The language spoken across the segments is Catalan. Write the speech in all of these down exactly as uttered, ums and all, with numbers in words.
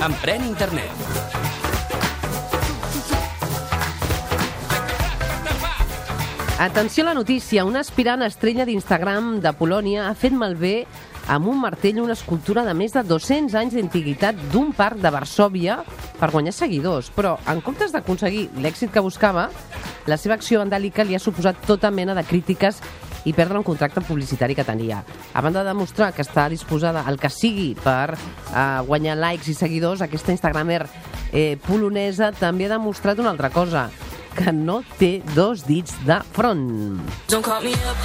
Emprèn internet. Atenció a la notícia. Una aspirant estrella d'Instagram de Polònia ha fet malbé amb un martell una escultura de més de dos-cents anys d'antiguitat d'un parc de Varsòvia per guanyar seguidors. Però, en comptes d'aconseguir l'èxit que buscava, la seva acció vandàlica li ha suposat tota mena de crítiques i perdre un contracte publicitari que tenia. A banda de demostrar que està disposada al que sigui per eh, guanyar likes i seguidors, aquesta instagramer eh, polonesa també ha demostrat una altra cosa, que no té dos dits de front. Don't call me up,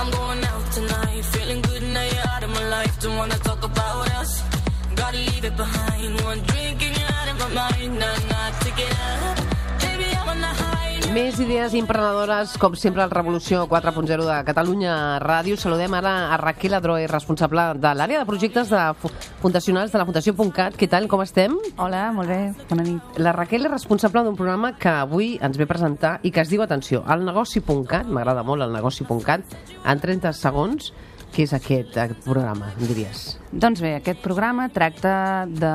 I'm going out tonight, feeling good now you're out of my life, don't wanna talk about us, gotta leave it behind, one drink and you're out of my mind, nah, nah, take it out, baby, I'm on the high. Més idees emprenedores, com sempre, al Revolució quatre punt zero de Catalunya Ràdio. Saludem ara a Raquel Adroer, responsable de l'àrea de projectes de fundacionals de la Fundació .cat. Què tal, com estem? Hola, molt bé, bona nit. La Raquel és responsable d'un programa que avui ens ve presentar i que es diu, atenció, el negoci punt cat, m'agrada molt el negoci punt cat, en trenta segons. Què és aquest, aquest programa, em diries? Doncs bé, aquest programa tracta de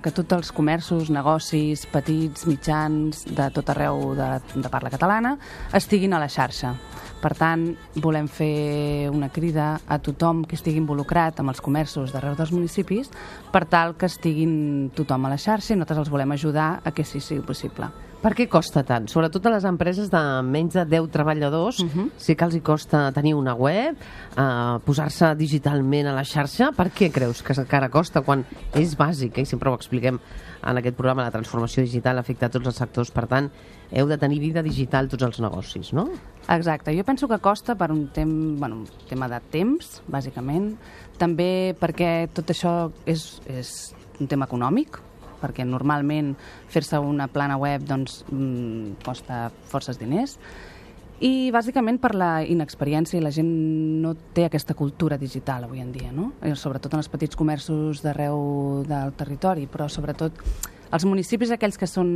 que tots els comerços, negocis, petits, mitjans, de tot arreu de, de parla catalana, estiguin a la xarxa. Per tant, volem fer una crida a tothom que estigui involucrat amb els comerços d'arreu dels municipis per tal que estiguin tothom a la xarxa i nosaltres els volem ajudar a que sí sigui possible. Per què costa tant? Sobretot a les empreses de menys de deu treballadors, uh-huh. sí que els hi costa tenir una web, eh, posar-se digitalment a la xarxa. Per què creus que encara costa quan és bàsic? Eh? I sempre ho expliquem en aquest programa, la transformació digital afecta a tots els sectors, per tant, heu de tenir vida digital tots els negocis, no? Exacte, jo penso que costa per un, tem... bueno, un tema de temps, bàsicament, també perquè tot això és, és un tema econòmic, perquè normalment fer-se una plana web doncs, mmm, costa forces diners, i bàsicament per la inexperiència i la gent no té aquesta cultura digital avui en dia, no? Sobretot en els petits comerços d'arreu del territori, però sobretot els municipis aquells que són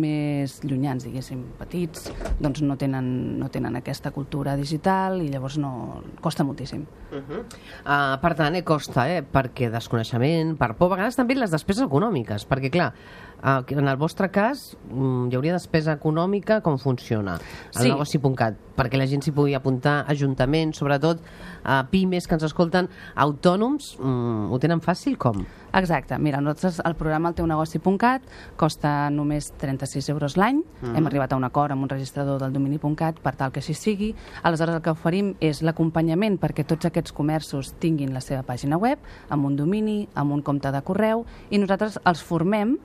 més llunyans, diguéssim, petits, doncs no tenen, no tenen aquesta cultura digital i llavors no costa moltíssim. Uh-huh. uh, per tant, eh, costa, eh? Perquè desconeixement, per por, a vegades també les despeses econòmiques, perquè clar, uh, en el vostre cas um, hi hauria despesa econòmica, com funciona el sí. negoci punt cat, perquè la gent s'hi pugui apuntar, ajuntaments, sobretot uh, pimes que ens escolten, autònoms, um, ho tenen fàcil, com? Exacte, mira, nosaltres el programa El teu negoci punt cat costa només trenta-sis euros l'any, mm. hem arribat a un acord amb un registrador del domini punt cat per tal que així sigui, aleshores el que oferim és l'acompanyament perquè tots aquests comerços tinguin la seva pàgina web, amb un domini, amb un compte de correu, i nosaltres els formem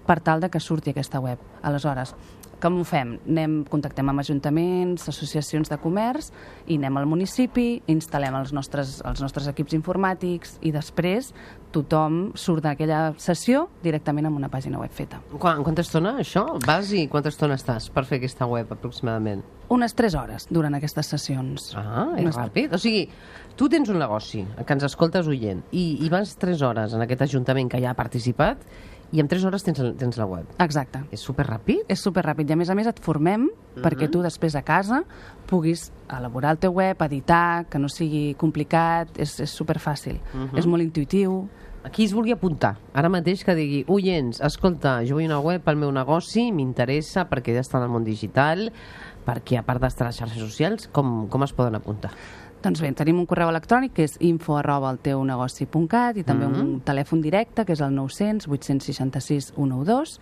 per tal de que surti aquesta web. Aleshores, com ho fem? Anem, contactem amb ajuntaments, associacions de comerç, i anem al municipi, instal·lem els nostres, els nostres equips informàtics i després tothom surt d'aquella sessió directament amb una pàgina web feta. Quan, quanta estona, això? Vas i quanta estona estàs per fer aquesta web, aproximadament? Unes tres hores durant aquestes sessions. Ah, és Unes... ràpid. O sigui, tu tens un negoci que ens escoltes oient i, i vas tres hores en aquest ajuntament que ja ha participat i en tres hores tens, tens la web. Exacte. És superràpid? És superràpid. I a més a més et formem uh-huh. perquè tu després a casa puguis elaborar el teu web, editar, que no sigui complicat, és, és superfàcil. Uh-huh. És molt intuïtiu. Qui es vulgui apuntar, ara mateix que digui, oients, escolta, jo vull una web pel meu negoci, m'interessa perquè ja està en el món digital, perquè a part d'estar a les xarxes socials, com, com es poden apuntar? Doncs bé, tenim un correu electrònic que és info arroba el teu negoci punt cat i també mm-hmm. un telèfon directe que és el nou cents vuit seixanta sis cent dotze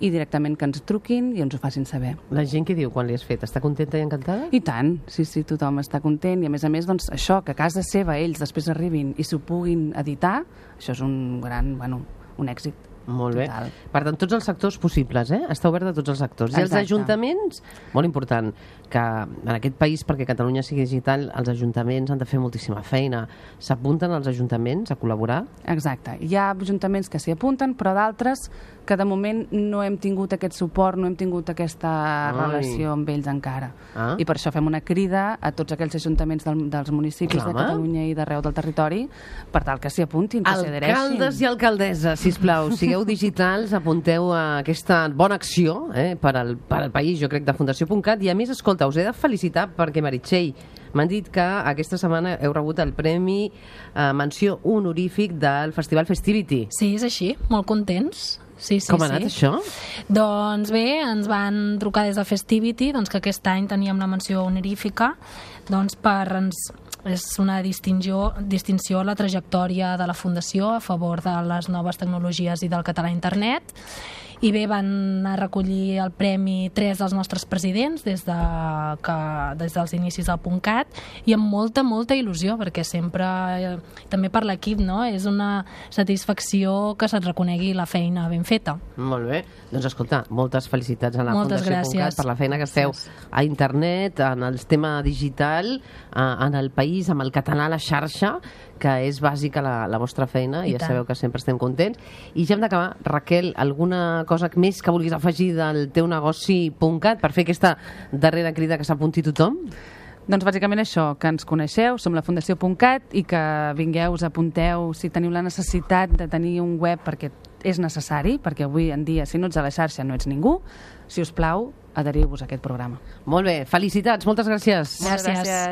i directament que ens truquin i ens ho facin saber. La gent què diu quan li has fet? Està contenta i encantada? I tant, sí, sí, tothom està content i a més a més, doncs, això, que a casa seva ells després arribin i s'ho puguin editar, això és un gran, bueno, un èxit. Molt bé. Total. Per tant, tots els sectors possibles, eh? Està obert a tots els sectors. Exacte. I els ajuntaments, molt important, que en aquest país, perquè Catalunya sigui digital, els ajuntaments han de fer moltíssima feina. S'apunten els ajuntaments a col·laborar? Exacte. Hi ha ajuntaments que s'hi apunten, però d'altres que de moment no hem tingut aquest suport, no hem tingut aquesta Ai. relació amb ells encara. Ah. I per això fem una crida a tots aquells ajuntaments del, dels municipis Clar, de Catalunya i d'arreu del territori per tal que s'hi apuntin, que s'hi adhereixin. Alcaldes i alcaldesses, sisplau, sigueu digitals, apunteu a aquesta bona acció eh, per, al, per al país, jo crec, de Fundació punt cat. I a més, escolta, us he de felicitar perquè Meritxell M'han dit que aquesta setmana heu rebut el Premi eh, Menció Honorífic del Festival Festivity. Sí, és així, molt contents. Sí, sí, Com ha anat sí. això? Doncs bé, ens van trucar des de Festivity, doncs que aquest any teníem la menció honorífica, doncs per ens, és una distinció, distinció a la trajectòria de la Fundació a favor de les noves tecnologies i del català a internet. I bé, van anar a recollir el premi tres dels nostres presidents des, de, que, des dels inicis del PUNCAT, i amb molta, molta il·lusió, perquè sempre, eh, també per l'equip, no? És una satisfacció que se't reconegui la feina ben feta. Molt bé. Doncs escolta, moltes felicitats a la Moltes Fundació gràcies. PUNCAT per la feina que feu a internet, en el tema digital, en el país, amb el català a la xarxa, que és bàsica la, la vostra feina, i ja tant. sabeu que sempre estem contents. I ja hem d'acabar. Raquel, alguna cosa més que vulguis afegir del teu negoci PUNCAT per fer aquesta darrera crida que s'apunti tothom? Doncs bàsicament això, que ens coneixeu, som la Fundació PUNCAT, i que vingueu, us apunteu si teniu la necessitat de tenir un web, perquè és necessari, perquè avui en dia, si no ets a la xarxa, no ets ningú. Si us plau, adheriu-vos a aquest programa. Molt bé, felicitats, moltes gràcies. Gràcies. Gràcies.